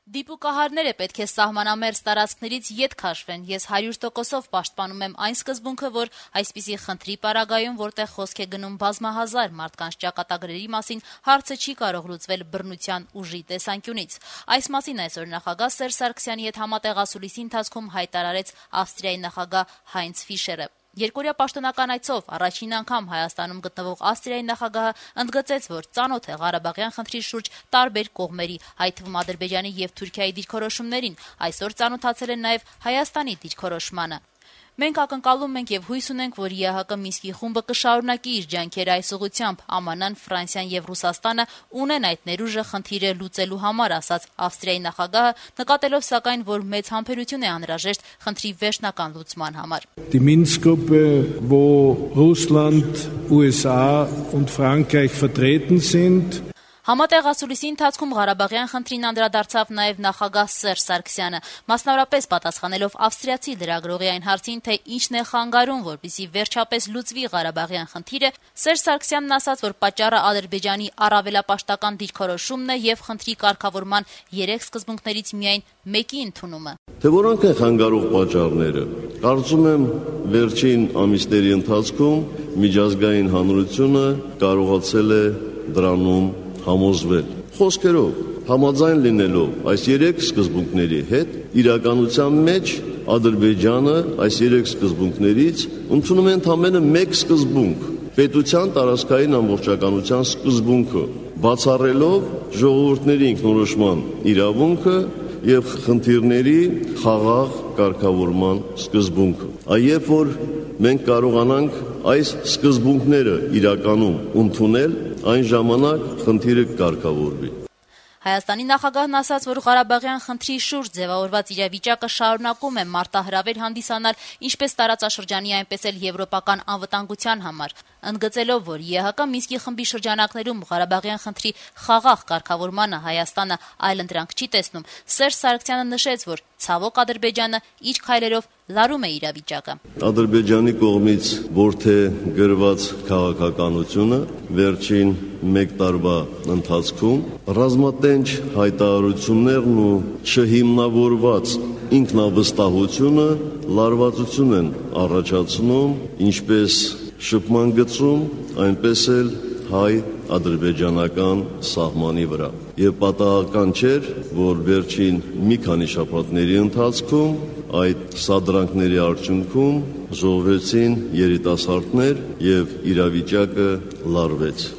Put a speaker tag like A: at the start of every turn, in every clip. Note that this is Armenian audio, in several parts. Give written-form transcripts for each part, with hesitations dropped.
A: Դիպուկահարները պետք է սահմանամերձ տարածքներից ետ քաշվեն։ Ես 100%-ով պաշտպանում եմ այն սկզբունքը, որ այսպիսի խնդրի պարագայում, որտեղ խոսք է գնում բազմահազար մարդկանց ճակատագրերի մասին, հարցը չի կարող լուծվել բռնության ուժի տեսանկյունից։ Այս մասին այսօր նախագահ Սերժ Սարգսյանի հետ համատեղ ասուլիսի ընթացքում հայտարարեց Ավստրիայի նախագահ Հայնց Ֆիշերը։ Երկօրյա պաշտոնական այցով առաջին անգամ Հայաստանում գտնվող Ավստրիայի նախագահը ընդգծեց, որ ծանոթ է Ղարաբաղյան խնդրի շուրջ տարբեր կողմերի, այդ թվում Ադրբեջանի եւ Թուրքիայի դիրքորոշումներին, այսօր ծանոթացել են նաեւ Հայաստանի դիրքորոշմանը։ Մենք ակնկալում ենք եւ հույս ունենք, որ ԵԱՀԿ Մինսկի խումբը կշարունակի իր ջանքերը այս ուղղությամբ, ԱՄՆ-ն, Ֆրանսիան եւ Ռուսաստանը ունեն այդ ներուժը խնդիրը լուծելու համար, ասաց Ավստրիայի նախագահը, նկատելով սակայն, որ մեծ համբերություն է անհրաժեշտ խնդրի վերջնական լուծման համար։
B: Die Minsk-Gruppe, wo Russland, USA und Frankreich vertreten sind.
A: Համատեղ ասուլիսի ընթացքում Ղարաբաղյան խնդրին անդրադարձավ նաև նախագահ Սերժ Սարգսյանը, մասնավորապես պատասխանելով ավստրիացի լրագրողի այն հարցին, թե ինչն է խանգարում, որպեսզի վերջապես լուծվի Ղարաբաղյան խնդիրը, Սերժ Սարգսյանն ասաց, որ պատճառը Ադրբեջանի առավելապաշտական դիրքորոշումն է եւ խնդրի կարգավորման 3 սկզբունքներից միայն մեկի ընդունումը։
C: Թե որոնք են խանգարող պատճառները։ Կարծում եմ, վերջին ամիսների ընթացքում միջազգային հանրությունը կարողացել է դրանում համոզվել։ Խոսքերով, համաձայն լինելով այս 3 սկզբունքների հետ, իրականության մեջ Ադրբեջանը այս 3 սկզբունքներից ընդունում է ընդամենը 1 սկզբունք՝ պետության տարածքային ամբողջականության սկզբունքը, բացառելով ժողովուրդների ինքնորոշման իրավունքը եւ խնդիրների խաղաղ կարգավորման սկզբունքը։ Երբ որ մենք կարողանանք այս սկզբունքները իրականում ընդունել, այն ժամանակ խնդիրը կարգավորվի։
A: Հայաստանի նախագահն ասաց, որ Ղարաբաղյան խնդրի շուրջ ձևավորված իրավիճակը շարունակում է մարտահրավեր հանդիսանալ ինչպես տարածաշրջանի, այնպես էլ եվրոպական անվտանգության համար, ընդգծելով, որ ԵԱՀԿ Մինսկի խմբի շրջանակներում Ղարաբաղյան խնդրի խաղաղ կարգավորմանը Հայաստանը այլընտրանք չի տեսնում, Սերժ Սարգսյանը նշեց, որ ցավոք Ադրբեջանը իր քայլերով լարում է իրավիճակը։
C: Ադրբեջանի կողմից որդեգրված քաղաքականությունը վերջին 1 տարվա ընթացքում ռազմատենչ հայտարարություններն ու չհիմնավորված ինքնավստահությունը լարվածություն են առաջացնում ինչպես շփման գծում, այնպես էլ հայ-ադրբեջանական սահմանի վրա։ Եվ պատահական չէր, որ վերջին մի քանի շաբաթների ընթացքում այդ սադրանքների արդյունքում զոհվեցին երիտասարդներ եւ իրավիճակը լարվեց։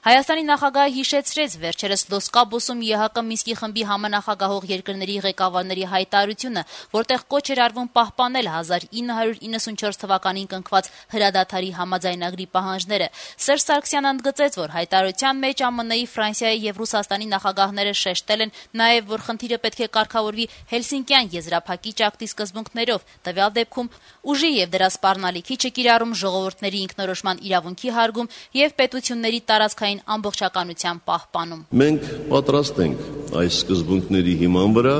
A: Հայաստանի նախագահը հիշեցրեց վերջերս Լոս-Կաբոսում ԵԱՀԿ Մինսկի խմբի համանախագահող երկրների ղեկավարների հայտարարությունը, որտեղ կոչ էր արվում պահպանել 1994 թվականին կնքված հրադադարի համաձայնագրի պահանջները։ Սերժ Սարգսյանը ընդգծեց, որ հայտարարության մեջ ԱՄՆ-ի, Ֆրանսիայի եւ Ռուսաստանի նախագահները շեշտել են նաեւ, որ խնդիրը պետք է կարգավորվի Հելսինկյան եզրափակիչ ակտի սկզբունքներով, տվյալ դեպքում ուժի եւ դրա սպառնալիքի չկիրառում, ժողովուրդների ինքնորոշման իրավունքի հարգում եւ պետությունների տարածքային ամբողջականության պահպանում։
C: Մենք պատրաստ ենք այս սկզբունքների հիման վրա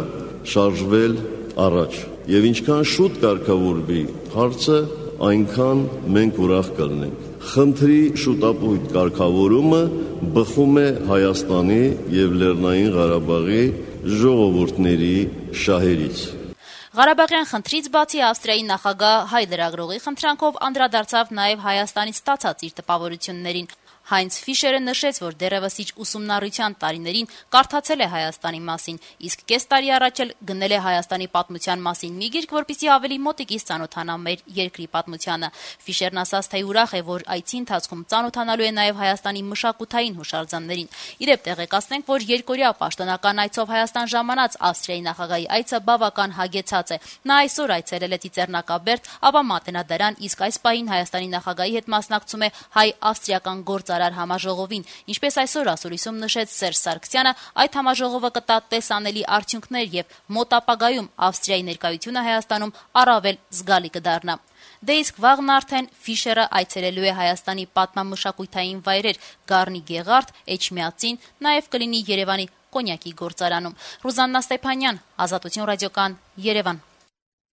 C: շարժվել առաջ եւ ինչքան շուտ կարգավորվի հարցը, այնքան մենք ուրախ կլինենք։ Խնդրի շուտապույտ կարգավորումը բխում է Հայաստանի եւ Լեռնային Ղարաբաղի ժողովուրդների շահերից։
A: Ղարաբաղյան խնդրից բացի Ավստրիայի նախագահ հայ լրագրողի խնդրանքով անդրադարձավ նաեւ Հայաստանից ստացած իր տպավորություններին։ Հայնց Ֆիշերը նշեց, որ դեռևս իր ուսումնառության տարիներին կարդացել է Հայաստանի մասին, իսկ կես տարի առաջ էլ գնել է Հայաստանի պատմության մասին մի գիրք, որպեսզի ավելի մոտիկից ծանոթանա մեր երկրի պատմությանը։ Ֆիշերն ասաց, թե ուրախ է, որ այցի ընթացքում ծանոթանալու է նաև Հայաստանի մշակութային հուշարձաններին։ Իդեպ տեղեկացնենք, որ երկօրյա պաշտոնական այցով Հայաստան ժամանած Ավստրիայի նախագահի այցը բավական հագեցած է։ Նա այսօր այցելել է Ծիծեռնակաբերդ, ապա Մատենադարան, իսկ այս պահին Հայաստանի նախագահի հետ մասնակցում է հայ-ավստրիական գործարար համաժողովին, ինչպես այսօր ասուլիսում նշեց Սերժ Սարգսյանը, այդ համաժողովը կտա տեսանելի արդյունքներ եւ մոտ ապագայում Ավստրիայի ներկայությունը Հայաստանում առավել զգալի կդառնա։ Դե իսկ վաղն արդեն Ֆիշերը այցելելու է Հայաստանի պատմամշակութային վայրեր Գառնի Գեղարդ, Էջմիածին, նաեւ կլինի Երևանի կոնյակի գործարանում։ Ռուզաննա Ստեփանյան, Ազատություն ռադիոկան, Երևան։